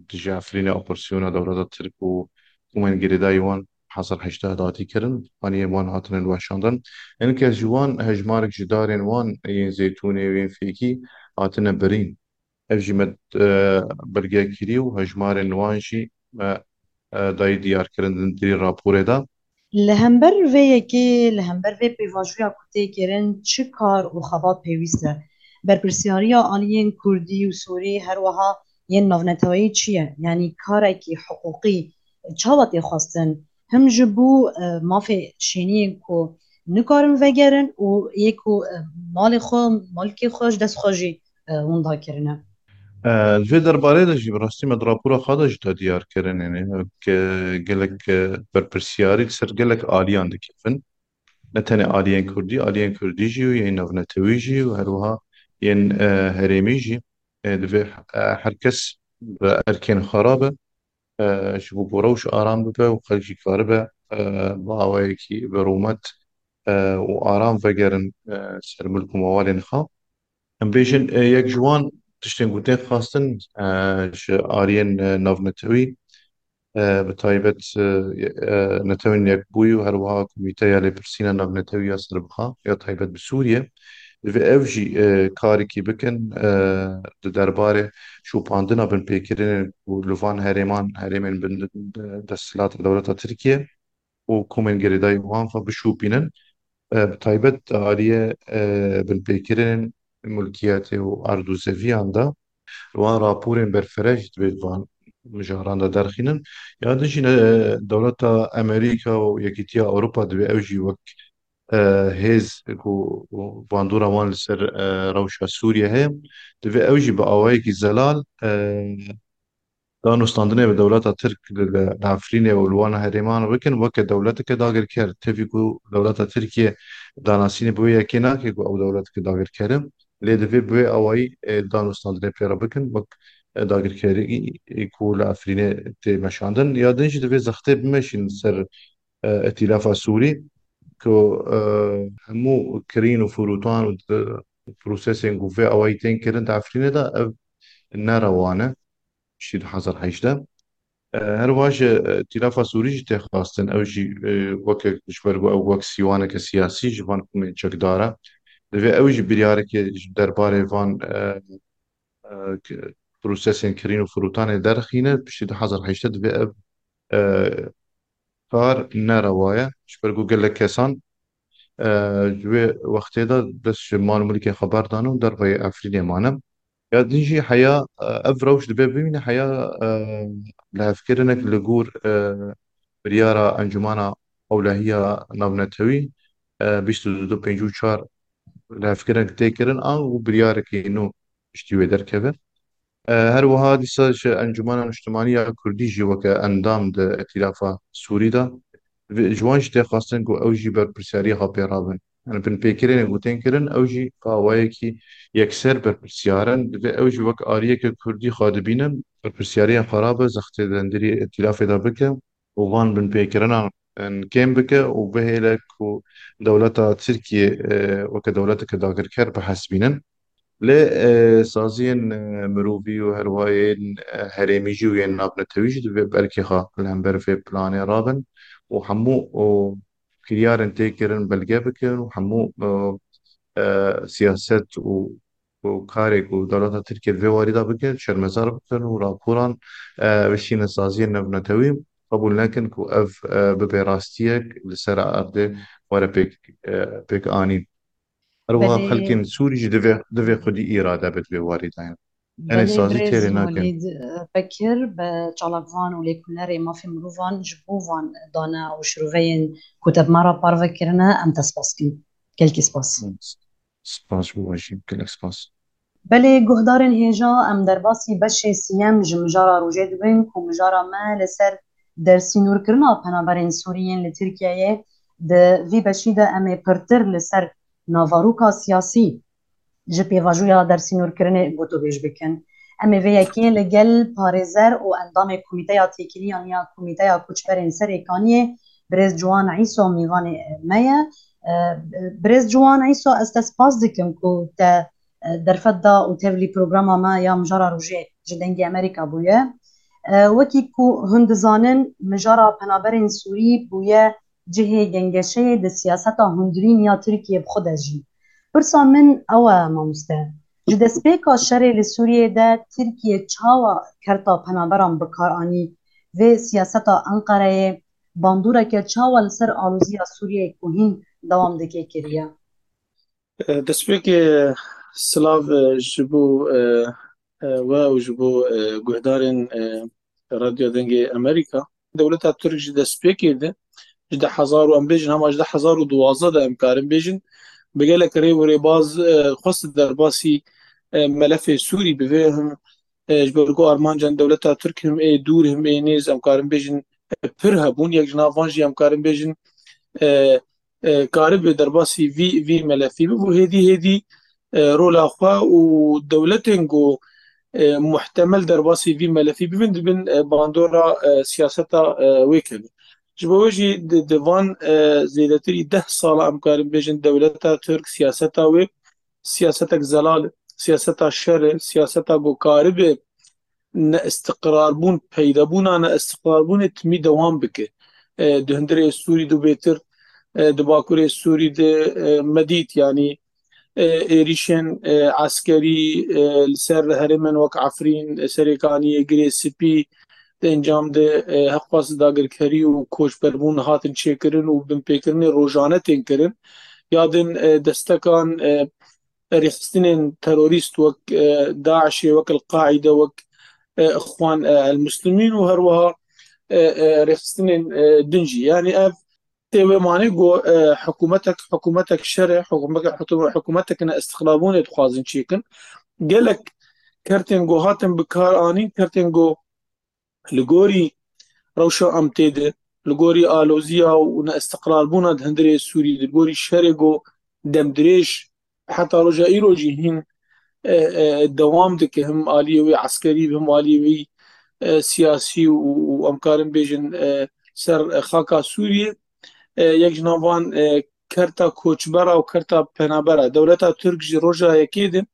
dijî Efrînê operasyona dewleta Tirk û komên girêdayî wan hezar heştê hatî kirin, haniyên wan hatine weşandin. Hinke ji wan hejmarek ji darên wan yên zeytûnê û yên fêkî hatine birîn. Ev jî me, e, belge kirî û hejmarên wan jî me, e, dayî diyarkirin di nirî raporê de. Li hember vê yekê, li hember vê pêvajoya ku tê kirin, çi kar û xebat pêwîst e? Berpirsiyariya aliyên kurdî û sûrî, her wiha yên navneteweyî çi ye? Yanî karekî hiqûqî çawa tê xwestin? Him ji bo, e, mafê şêniyên ku nikarin vegerin û yê ku, e, malê xwe, malkê xwe ji dest xwe jî, e, winda kirine. E, li vê derbarê de jî bi rastî me di rapora xwe de jî te diyar kirin, yanî ke gelek, e, berpirsiyarî li ser gelek aliyan dikevin. Ne tenê aliyên kurdî, aliyên kurdî jî û yên navnetewî jî û her wiha yên, e, herêmî jî, e, divê, e, her kes bi erkên xwe rabe, e, ji bo ku rewş aram bibe û xelk jî karibe, e, bi awayekî bi rûmet, e, û aram vegerin, e, ser milk û mewalên xwe. Em bêjin, e, yek ji wan tiştên ku tên xwestin, e, ji aliyên, e, navnetewî, e, bi taybet, e, e, Netewên Yekbûyî û her wiha Komîteya Lêpirsîna Navnetewî ya Serbixwe ya taybet bi Sûriye, divê ew jî, e, karekî bikin, e, di derbarê şopandina binpêkirinên ku li van herêman, herêmên bin desthilata dewleta Tirkiye û komên girêdayî wan xwe bişopînin. E, bi taybet di aliyê, e, binpêkirinên mulkiyetê û erd û zeviyan de, wan raporên berfireh jî divê di van mijaran de derxînin. Ya din jî ne, dewleta Amerîka û Yekîtiya Ewropa divê ew jî wek, e, hêz ku bandora wan li ser, e, rewşa Sûriye heye, divê ew jî bi awayekî zelal, e, danûstandinê bi dewleta Tirk li, li, li Efrînê û li wan herêman bikin weke dewleteke dagirker. Tevî ku dewleta Tirkiye danasînê bi wê yekê nake ku ew dewleteke dagirker e. Lê divê bi wê awayî, e, danûstandinê pê re bikin wek, e, dagirkerî ku li Efrînê tê meşandin. Ya din jî divê zextê bimeşîn ser, e, Îtîlafa Sûrî ku, e, hemû kirîn û firûtan û di-, prosesên ku vê awayî tên kirin di Efrînê de ev ne rewa ne. Piştî du hezar hejdeh. E, her wiha ji, e, Îtîlafa Sûrî jî tê xwestin, ew jî, e, weke ji ber ku ew wek sîwaneke siyasî ji van komên çekdar e. Divê ew jî biryareke ji derbarê van, e, e, k-, prosesên kirîn û firûtanê derxîne, piştî du hezar hejdeh divê ev, e, kar ne rewa ye. Ji ber ku gelek kesan, e, ji wê wextê de dest ji mal û milkê xwe berdan û derveyê Efrînê mane. Ya din jî heya, e, ev rewş divê bimîne heya, e, lihevkirinek li gor, e, biryara Encûmena Ewlehiya Navnetewî, e, bîst û du pêncî û çar lihevkirinek tê kirin an û biryarekî nû piştî wê derkeve. E, her wiha dîsa ji Encûmena Niştimanî ya Kurdî jî weke endam di Îtîlafa Sûrî de. Vê, ji wan jî tê xwestin ku ew jî berpirsyariya xwe pê rabin. Yani binpêkirinên ku tên kirin, ew jî bi awayekî yekser berpirsiyar in. Divê ew jî wek aliyeke Kurdî xwe dibînin, berpirsiyariya xwe rabe, zextê di hundirî Îtîlafê de bike û van binpêkirinan, en, kêm bike û bihêle ku dewleta Tirkiye, e, weke dewleteke dagirker bihesibînin. Lê, e, saziyên, e, mirovî û her wiha yên, e, herêmî jî û yên navnetewî jî divê bi erkê xwe li hember vê planê rabin û hemû û kiryarên tê kirin belge bikin û hemû, e, e, siyaset û, û karê ku dewleta Tirkiye di vê warî de bike, şermezar bikin û raporan, e, bişînin saziyên navnetewî, qebûl nekin ku ev, e, bibe rastiyek li ser erdê were pêk, e, pêk anîn. Her wiha Belê. Xelkên Sûrî jî divê, divê xwedî îrade be di vê warî de. Em ê Belê, sazî birêz têrê nakin. Welîd, e, Bekir, bi çalakvan û lêkolînerê mafê mirovan ji bo van dane û şiroveyên ku te bi me re parve kirine, em te spas dikin. Gelkî spas. Spas ji bo we jî, gelek spas. Belê, guhdarên hêja, em derbasî beşê sîyem ji mijara rojê dibin ku mijara me li ser dersînorkirina penaberên Sûrî yên li Tirkiyeyê. Di vî beşî de em ê pirtir li ser navaroka siyasî ji pêvajoya dersînorkirinê gotûbêj bikin. Em ê vê yekê li gel parêzer û endamê Komîteya Têkiliyan ya Komîteya Koçberên Serêkaniyê, birêz Ciwan Îso, mêvanê me ye. E, birêz Ciwan Îso, ez te spas dikim ku te e, derfet da û tevlî programa me ya Mijara Rojê ji Dengê Amerîka bûye. E, wekî ku hûn dizanin, mijara penaberên Sûrî bûye cihê gengeşeyê di siyaseta hundirîn ya Tirkiyê bi xwe de jî. Pirsa min ew e, mamoste. Ji destpêka şerê li Sûriyê de Tirkiye çawa kerta penaberan bi kar anî? Vê siyaseta Enqereyê bandoreke çawa li ser aloziya Sûriyeyê ku hîn dewam dike kiriye? Destpêkê silav, e, ji bo, e, e, we û ji bo, e, guhdarên, e, Radyo Dengê Amerîka. Dewleta Tirk ji destpêkê de, ji du hezar û em bêjin, hema ji du hezar û duwazdeh de em karin bêjin, bi gelek rê û rêbaz, e, xwest derbasî, e, melefê Sûrî bibe. Him, e, ji ber ku armancan dewleta Tirk him ê dûr, him ê nêz, em karin bêjin, e, pir hebûn. Yek ji nav van jî em karin bêjin, e, e, karibe derbasî vî, vî melefî bibû. Hêdî hêdî, e, rola xwe û dewletên ku, e, muhtemel derbasî vî melefî bibin, dibin, e, bandora, e, siyaseta, e, wê kevin. Ji bo wê jî di, di van, e, zêdetirî deh sala em karin bêjin dewleta Tirk siyaseta wê, siyasetek zelal, siyaseta şer e, siyaseta ku karibe neistiqrarbûn, peydabûna neistiqrarbûnê timî dewam bike. E, di hundirê Sûrî de bêtir, e, di bakurê Sûrî de, e, me dît, yanî, e, êrîşên, e, eskerî, e, li ser herêmên wek Efrîn, e, Serêkaniyê, Girê Spî, di encam de, e, heqxwaz dagirkerî û koçberbûn hatin çêkirin û binpêkirinê rojane tên kirin. Ya din, e, destekan, e, rêxistinên terorîst wek, e, DAIŞê, wek El-Qaîde, wek, e, Ixwan, e, El-Muslimîn û her wiha, e, e, rêxistinên, e, din jî. Yanî ev tê wê manê ku, e, hikûmetek, hikûmetek şer e, hikûmetek, hikûmetek ne istiqlabûnê dixwazin çêkin. Gelek kertên ku hatin bi kar anîn, kertên ku li gorî rewşa em tê de, li gorî aloziya û neistiqrarbûna di hundirê Sûrî de, li gorî şerê ku demdirêj heta roja îro jî hîn, e, e, dewam dike, him aliyê wê eskerî, him aliyê wê, e, siyasî û, û em karin bêjin, e, ser xaka Sûriyê. E, yek ji nav van, e, kerta koçbera û kerta penabera. Dewleta Tirk ji roja yekê de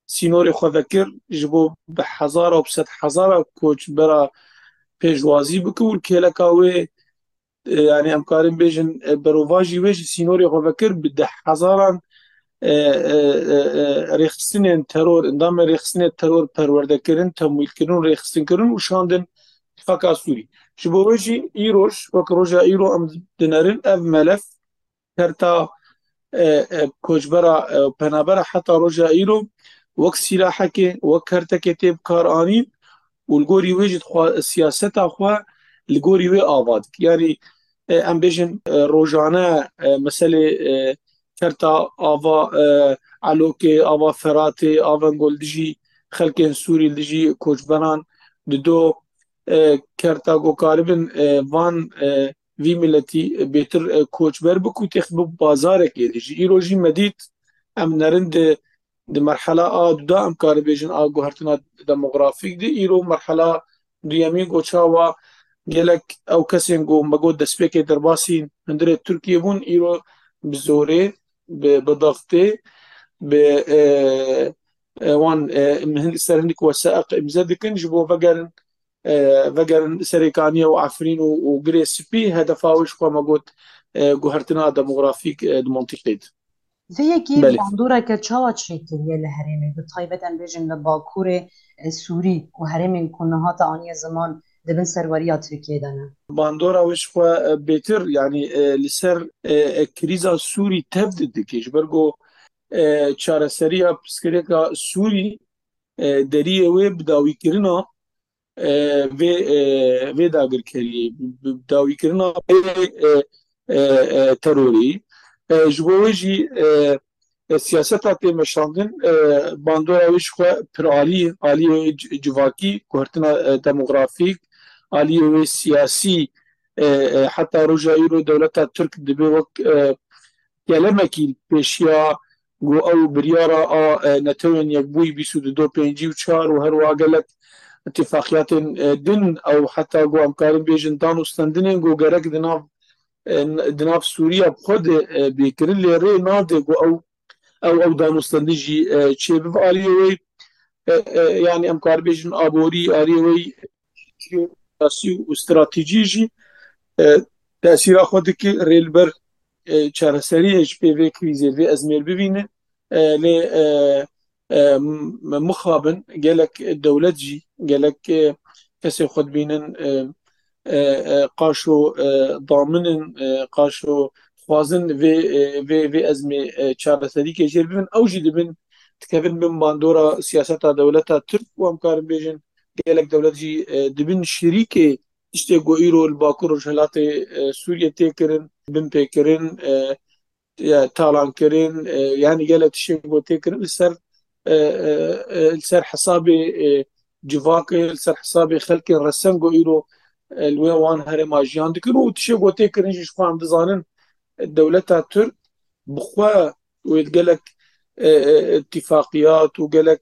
sînorê xwe vekir, ji bo bi hezara û bi sed hezara koçbera pêşwazî bike û li kêleka wê, e, yanî em karin bêjin, e, berovajî wê ji sînorê xwe vekir bi deh hezaran, e, e, e, e, rêxistinên teror, endamên rêxistinê teror perwerdekirin, temwîlkirin û rêxistinkirin û şandin xaka Sûrî. Ji bo wê jî îroj, wek roja îro em dinerin, ev melef kerta, e, e, koçbera, e, penabera heta roja îro wek sîlahekê, wek kertekê tê bi kar anîn û li gorî wê jî dixwa-, siyaseta xwe li gorî wê ava dike. Yanî, e, em bêjin, e, rojane, e, meselê, e, kerta ava, e, Elokê, ava Feratê, ava ku li dijî xelkên Sûrî, li dijî koçberan dido, e, kerta ku karibin, e, van, e, vî miletî bêtir, e, koçber bik û têx bi bazarekê de jî. Îro jî me dît, em nerin di, di merhela a du de em karibêjin a guhertina demografîk de. Îro merhela duyemîn ku çawa gelek ew kesên ku me got destpêkê derbasî hundirê Tirkiyê bûn, îro bi zorê, bi, bi daxtê, bi, e, e, wan, e, hin-, ser hindik weseq îmze dikin, ji bo vegerin, e, vegerin Serêkaniye û Efrîn û, û Girê Spî, hedefa wê ji xwe me got, e, guhertina demografîk, e, di mantîqê de. Vê yekê Belê. bandoreke çawa çêkiriye li herêmê, bi taybet em bêjin li Bakurê, e, Sûrî û herêmên ku niha te aniye ziman di bin serweriya Tirkiyê de ne? Bandora wê ji xwe, e, bêtir, yanî, e, li ser, e, e, krîza Sûrî tev didike, ji ber ku, e, çareseriya pirsgirêka Sûrî, e, deriyê wê bi dawîkirina, e, vê, e, vê dagirkeriyê, bi, bi dawîkirina vê, e, e, e, terorê. E, ji bo wê jî, e, e, siyaseta tê meşandin, e, bandora wê ji xwe pir alî, aliyê wê ci-, civakî, guhertina, e, demografîk, aliyê wê siyasî, e, e, heta roja îro dewleta Tirk dibe wek, e, gelemekî pêşiya ku ew biryara a, e, Netewên Yekbûyî bîst û du do pêncî û çar û her wiha gelek îtîfaqiyatên, e, din ew heta ku em karin bêjin dan û stendinên ku gerek di nav, e, di nav Sûriya bi xwe de, e, bê kirin, lê rê nade ku ew ew, ew danûstendin jî, e, çêbibe aliyê wê, e, e, yanî em karibêjin aborî aliyê wê siyasî û stratejî jî, e, tesîra xwe dike rê li ber, e, çareseriyê ji pê vê krîzê, vê ezmêr bibîne. E, lê, e, e, m-, mixabin gelek dewlet jî, gelek, e, kesê xwe dibînin, e, e, e, qaşo, e, damin in, e, qaşo xwazin vê, e, vê, vê ezmê, e, çareserîkê jêr bibin, ew jî dibin, dikevin bin bandora siyaseta dewleta Tirk û em karin bêjin gelek dewlet jî, e, dibin şirîkê tiştê ku îro li Bakur Rojhilatê, e, Sûriyê tê kirin, binpêkirin, e, ya talankirin, e, yanî gelek tiştê ku tê kirin li ser, e, e, e, li ser hesabê, e, civakê, li ser hesabê xelkên resen ku îro, e, li wê wan herêma jiyan dikin û tiştê ku tê kirin jî ji xwe em dizanin, e, dewleta Tirk bi xwe wê gelek, e, e, îtîfaqiyat û gelek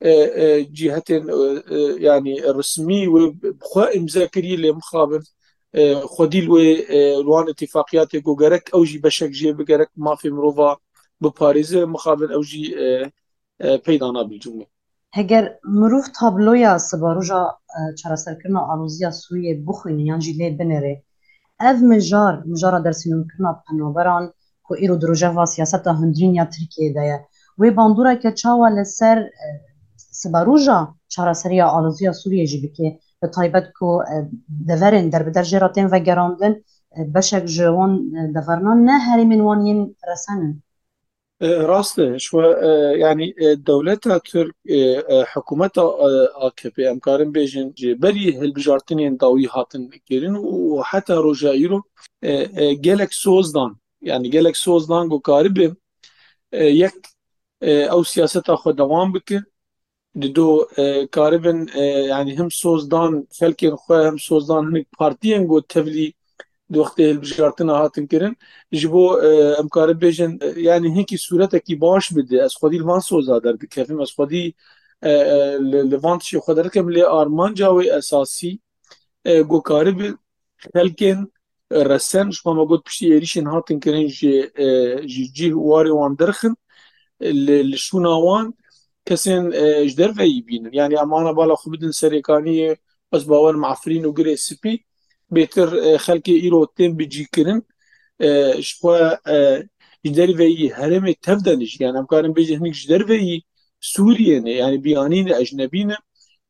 e, e, cîhetên, e, e, yanî resmî wê bi xwe îmze kirî lê mixabin, e, xwedî li wê, e, li wan îtîfaqiyatê ku gerek ew jî beşek jê bi gerek mafê mirova biparêze, mixabin ew jî, e, e, peyda nabe cumê. Heger mirov tabloya sibaroja, e, çareserkirina aloziya Sûriyê bixwîne yan jî lê binêre, ev mijar, mijara dersînorkirina penaberan ku îro di rojeva siyaseta hundirîn ya Tirkiyê de ye. Wê bandoreke çawa li ser, e, siberoja çareseriya aloziya Sûriyê jî bike? Bi taybet ku, e, deverên derbider jê re tên vegerandin, e, beşek ji wan, e, devernan ne herêmên wan yên resen in. E, rast e, ji xwe, e, yanî, e, dewleta Tirk, e, e, hikûmeta, e, A K P, em karin bêjin, ji berî hilbijartinên dawî hatin kirin û heta roja îro, e, e, gelek soz dan. Yanî gelek soz dan ku karibe, e, yek, e, ew siyaseta xwe dewam bike. Dido, e, karibin, e, yanî him soz dan xelkên xwe, him soz dan hinek partiyên ku tevlî di wextê hilbijartina hatin kirin. Ji bo, e, em karin bêjin, e, yanî hinkî sûretekî baş bide. Ez xwedî li van soza derdikevim. Ez xwedî, e, e, li, li van tiştê xwe derdikim. Lê armanca wê esasî, e, ku karibe xelkên resen, ji xwe me got piştî êrîşên hatin kirin ji, e, ji cih û warê wan derxin, li, li şûna wan kesên, e, ji derveyî bînin. Yanî em ana bala xwe bidin Serêkaniyê, ez bawerim Efrîn û Girê Spî, bêtir, e, xelkê îro tên bicîkirin, e, ji xwe, e, ji derveyî herêmê tev de ne jî. Yanî em karin bêjin hinek ji derveyî Sûriyê ne, yanî biyanî ne, ecnebî ne.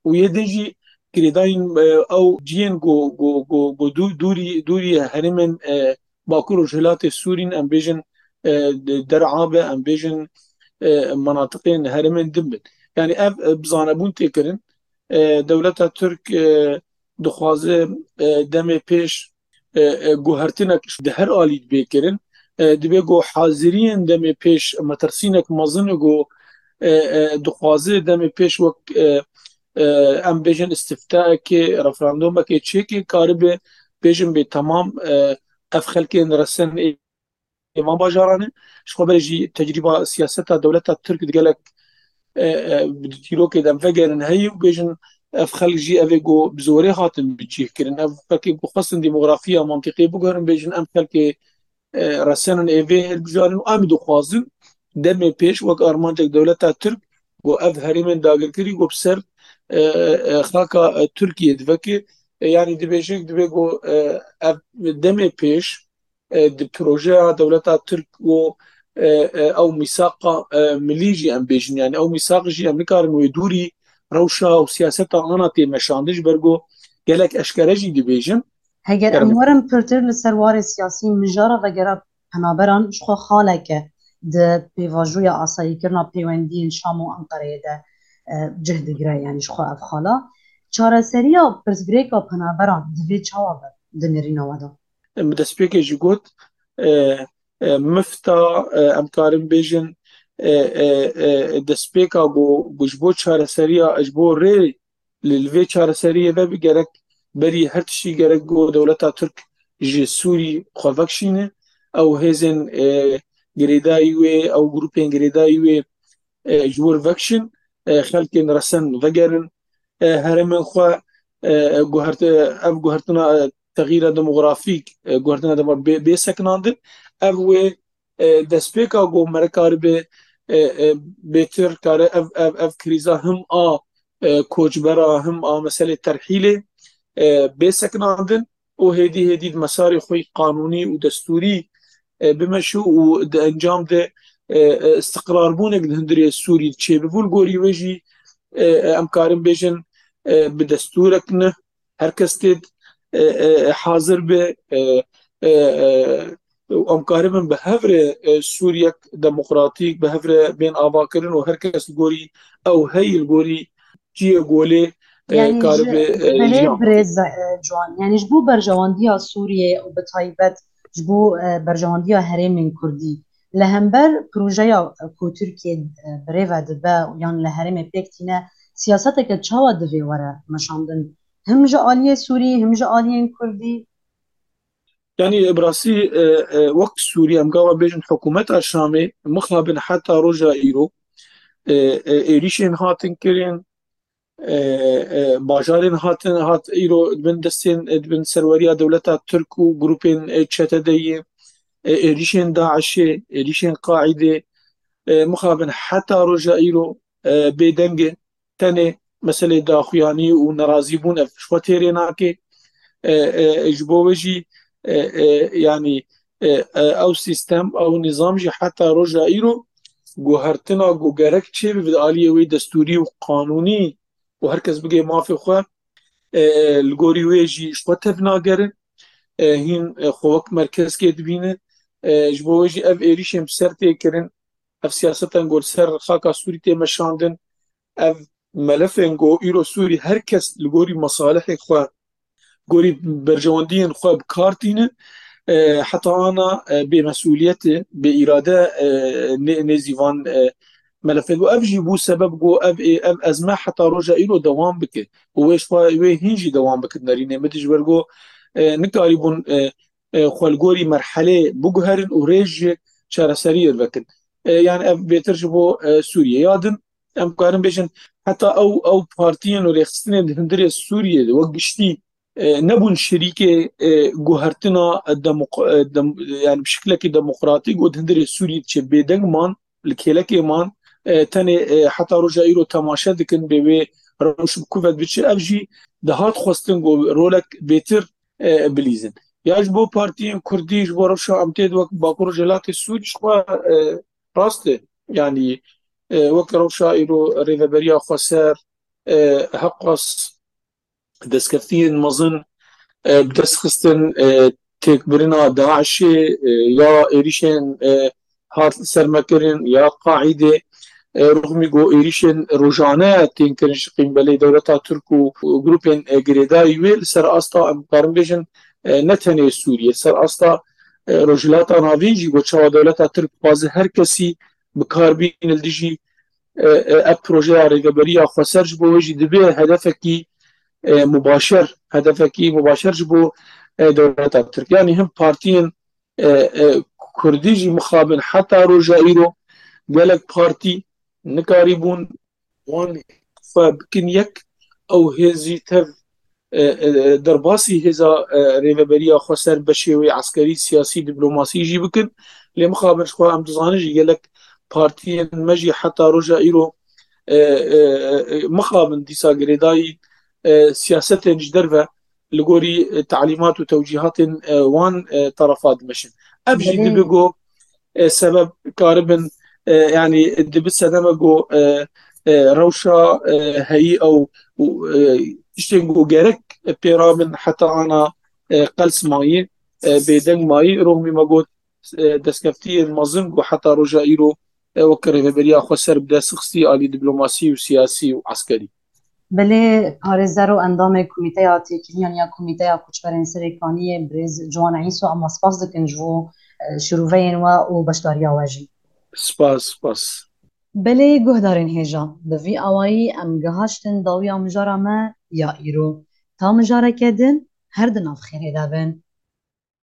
Û yê din jî girêdayîn, e, ew cihên ku, ku, ku, ku dû-, dûrî, dûrî herêmên, e, Bakur û Rojhilatê Sûrî ne, em bêjin, e, di Der'a be, em bêjin, e, menatiqên herêmên din bin. Yanî ev, e, bi zanebûn tê kirin. E, dewleta Tirk, e, dixwaze, e, demê pêş, e, e, guhertinek di her alî dibe kirin. E, dibe ku haziriyên demê pêş metirsînek mezin e ku, e, e, dixwaze demê pêş wek, e, e, em bêjin îstiftaekê, referandumekê çêke karibe bêjin bê temam, e, ev xelkên resen ê van bajaran e. Ji xwe berê jî tecrîba siyaseta dewleta Tirk di gelek, e, e, di dîrokê de em vegerin heye û bêjin ev xelk jî ev ê ku bi zorê hatin bicihkirin. Ev xelkê ku xwestin demografiya mantîqê biguherin, bêjin em xelkê, e, resen in ê vê hilbijartin û em dixwazin demê pêş wek armancek dewleta Tirk ku ev herêmên dagirkirî ku bi ser, e, e, xaka, e, Tirkiyê diveke, e, yanî dibêje, dibê ku, e, ev demê pêş, e, di projeya dewleta Tirk û, e, e, ew mîsaqa, e, milî jî em bêjin. Yanî ew mîsaq jî em nikarin wê dûrî rewşa û siyaseta ana tê meşandin, ji ber ku gelek eşkere jî dibêjin. Heger em werin pirtir li ser warê siyasî, mijara vegera penaberan ji xwe xaleke di pêvajoya asayîkirina pêwendiyên Şam û Enqereyê de, e, cih digire, yanî ji xwe ev xala. Çareseriya pirsgirêka penaberan divê çawa be di nêrîna we de? Min destpêkê jî got, e, e, mifta, e, em karin bêjin, e, e, e, destpêka ku, ku ji bo çareseriya, ji bo rê li, li vê çareseriyê ve bi gerek berî her tiştî gerek ku dewleta Tirk ji Sûrî xwe vekişîne, ew hêzên, e, girêdayî wê, ew grûpên girêdayî wê, e, ji wir vekişin, e, xelkên resen vegerin, e, herêmên xwe, e, guhert-, ev guhertina, e, texîra demografîk, e, guhertina demografîk bê, bê sekinandin. Ev wê, e, destpêka ku me re karibe, e, e, bêtir kare ev, ev, ev krîza him a, e, koçbera, him a meselê terhîlê, e, bê sekinandin û hêdî hêdî di mesarê xwe yî qanûnî û destûrî, e, bimeşû û di encam de, e, e, istiqrarbûnek di hundirê Sûrî çêbibû. Li gorî wê jî, e, e, em karin bêjin, e, bi destûrek ne, her kes tê, e, e, hazir be, e, e, e, û em karibin bi hev re, e, Sûriyek demokratîk bi hev re bên avakirin û her kes li gorî ew heyî, li gorî ciyê golê, e, Yanî ji karibe, e, belê jiyan. Birêz, e, Ciwan, yanî ji bo berjewendiya Sûriyê û bi taybet ji bo, e, berjewendiya herêmên Kurdî li hember projeya, e, ku Tirkiye, e, birêve dibe yan li herêmê pêk tîne, siyaseteke çawa divê were meşandin? Him ji aliyê Sûrî, him ji aliyên Kurdî? Yanî bi rastî, e, e, wek Sûrî em gava bêjin hikûmeta Şamê mixabin heta roja îro, e, e, êrîşên hatin kirin, e, e, bajarên hatin, hat îro di bin destên, e, di bin serweriya dewleta Tirk û grûpên, e, çetedeyê, e, êrîşên DAIŞê, êrîşên Qaîdê, e, mixabin heta roja îro, e, bêdeng e. Tenê meselê daxuyanî û nerazîbûn ev ji xwe têrê nake. E, e, ji bo wê jî, e, e, yanî, e, e, ew sîstem, ew nîzam jî heta roja îro guhertina ku gerek çêbibe di aliyê wê destûrî û qanûnî û her kes bigê mafê xwe, e, li gorî wê jî ji xwe tevnagerin, e, hîn, e, xwe wek merkezkê dibînin. E, ji bo wê jî ev êrîşên bi ser tê kirin, ev siyaseten ku li ser xaka Sûrî tê meşandin, ev melefên ku îro Sûrî her kes li gorî mesalihê xwe, gorî berjewendiyên xwe bi kar tînin, e, heta ana, e, bêmesûliyetê, bêîrade, e, nê-, nêzî van, e, melefê bû. Ev jî bû sebeb ku ev, ev ezme heta roja îro dewam bike. Û wê ji xwe, wê hîn jî dewam bike di nerînê. Min dijber ku, e, nikarîbûn, e, e, xwe li gorî merhelê biguherin û rêj ji çareseriyê vekin. E, yani ev bêtir ji bo, e, Sûriyê. Ya din, em karin bêjin, heta ew, ew partiyên û rêxistinên di hundirê Sûriyê de wek giştî, e, nebûn şirîkê, e, guhertina demok-, e, dem-, yani bi şiklekî demokratîk û di hundirê Sûriyê diçe bêdeng man, li kêlekê man, e, tenê, e, heta roja îro temaşe dikin bê wê rewş bi ku ve dibiçe. Ev jî dihat xwestin ku rolek bêtir, e, bilîzin. Ya ji bo partiyên Kurdî, ji bo rewşa em tê di wek Bakur Rojhilatê Sûrî ji xwe, e, rast e. Yanî, e, wek rewşa îro Rêveberiya Xweser, e, Heqas, destkeftiyên mezin, e, bi dest xistin, e, têkbirina DAIŞê, e, ya êrîşên, e, hat sermekirin, ya Qaîdê, e, rixmî ku êrîşên rojane tên kirin ji qîmbelê dewleta Tirk û, û grûpên, e, girêdayî wê li ser asta, em karin bêjin, e, ne tenê Sûriyê, ser asta, e, Rojhilata Navîn jî ku çawa dewleta Tirk dixwaze her kesî bi kar bîne li dijî, e, e, ev projeya Rêveberiya Xweser ji bo wê jî dibe hedefekî, e, mubaşer, hedefekî mubaşer ji bo, e, dewleta Tirk. Yanî him partiyên, e, e, Kurdî jî mixabin heta roja îro gelek partî nikarîbûn wan xwe bikin yek, ew hêzî tev, e, e, derbasî hêza, e, Rêveberiya Xweser beşê wê eskerî, siyasî, diplomasî jî bikin. Lê mixabin ji xwe em dizanin jî gelek partiyên me jî heta roja îro, e, e, e, mixabin dîsa girêdayî, e, siyasetên ji derve li gorî, e, talîmat û tewcîhatên, e, wan, e, terefa dimeşin. Ev jî Belê. dibe ku, e, sebeb karibin, e, yanî dibe sedeme ku, e, e, rewşa, e, heyî ew û, e, tiştên ku gerek pê rabin heta ana, e, qels mayî, e, bêdeng mayî. Roxmî me got, e, destkeftiyên mezin ku heta roja îro, e, wek Rêveberiya Xweser bi dest xistî alî diplomasî û siyasî û eskerî. Belê, parêzer û endamê Komîteya Têkiliyan ya Komîteya Koçberên Serê Kaniyê, birêz Ciwan Îso, em we spas dikin ji bo, e, şirûveyên we û beşdariya we jî. Spas, spas. Belê, guhdarên hêja, bi vî awayî em gihaştin dawiya mijara me ya îro. Ta mijareke din, her di nav xêrê de bin.